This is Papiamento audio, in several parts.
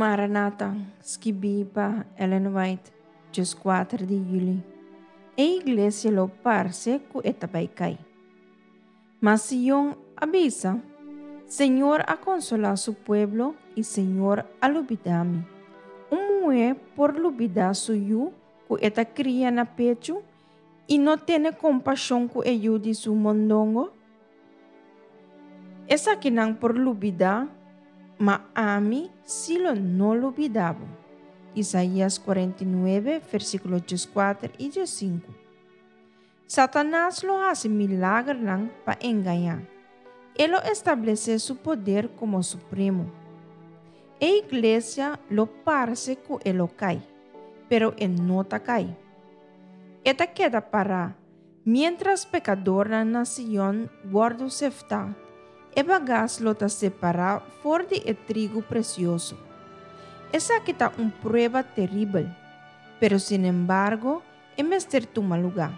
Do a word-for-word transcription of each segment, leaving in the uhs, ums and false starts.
Maranata, skibí pa Ellen White, dieskuater di yüli. E iglesia lo parse ku e ta bai kai. Ma Sion a bisa: Señor a konsolá su pueblo i Señor a lubidá mi. Un muhé por lubidá su yu ku e ta kria na pechu i no tene kompashon ku e yu di su mondongo? Esakinan por lubidá, ma ami sí lo no lubidá bo. Isaías kuarenta i nuebe, versíkulo dieskuater i diesinku. Satanas lo hasi milagernan pa engañá. E lo establesé su poder komo supremo. E iglesia lo parse ku e lo kai, pero e no ta kai. E ta keda pará, miéntras pekadornan na Sion wòrdu seftá, e bagas lo ta separá for di e trigu presioso. Esaki ta un prueba teribel, pero sinembargo e mester tuma lugá.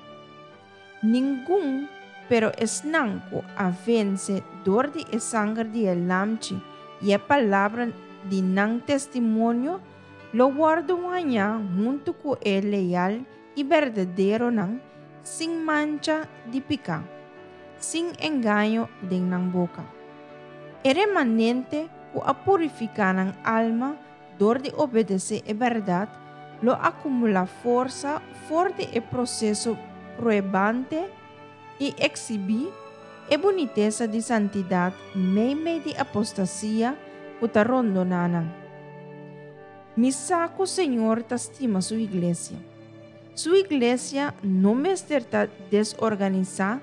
Ningun, pero esnan ku a vense dor di e sanger di e Lamchi i e palabra di nan testimonio, lo wòrdu hañá huntu ku e leal i berdaderonan sin mancha di piká, sin engaño den nan boka. E remanente ku a purifiká nan alma dor di obedesé e bèrdat lo akumulá forsa for di e proseso pruebante i eksibí e bunitesa di santidat meimei di apostasia ku ta rondoná nan. Mi sa ku Señor ta stima Su iglesia. Su iglesia no mester ta desorganisá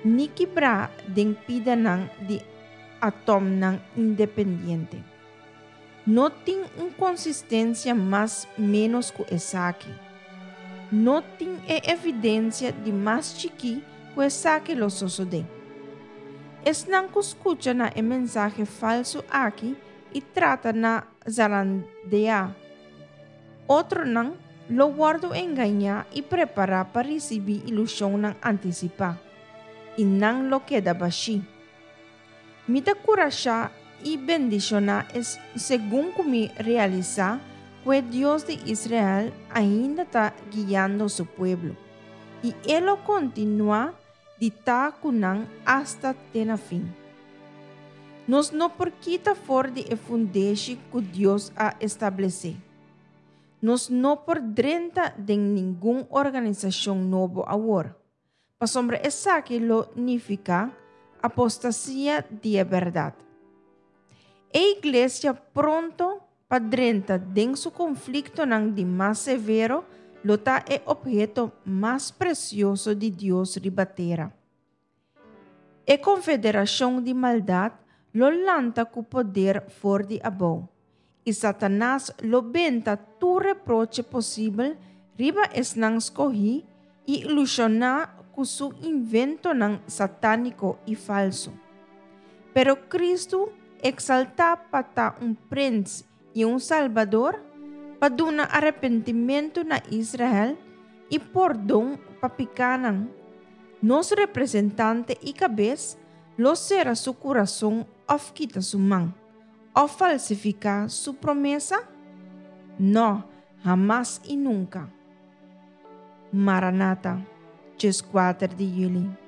ni kibrá den pidanan di atòmnan independiente. No tin un konsistensia mas ménos ku esaki. No tin e evidensia di mas chikí ku esaki lo sosodé. Esnan ku skucha na e mensahe falsu aki i trata na zarandeá otronan lo wòrdu engañá i prepará pa risibí ilushonnan antisipá, i nan lo keda bashí. Mi ta kurashá i bendishoná es segun ku mi realisá ku e Dios di Israel ainda ta guiando su pueblo, i e lo kontinuá di ta ku nan asta te na fin. Nos no por kita for di e fundeshi ku Dios a establesé. Nos no por drenta den ningun organisashon nobo awor, pasobra esaki lo nifiká apostasia di e bèrdat. E iglesia pronto pa drenta den su konfliktonan di mas severo lo ta e opheto mas presioso di Dios riba tera. E konfederashon di maldat lo lanta ku poder for di abou, i Satanas lo benta tur reproche posibel riba esnan skohí i ilushoná ku su inventonan satániko i falsu. Pero Kristu, eksaltá pa ta un Prens i un Salbador, pa duna arepentimentu na Israel i pordon pa pikánan, nos representante i kabes, lo sera su kurason òf kita su man, òf falsifiká su promesa? Nò, hamas i nunka. Maranata, dieskuater di yüli.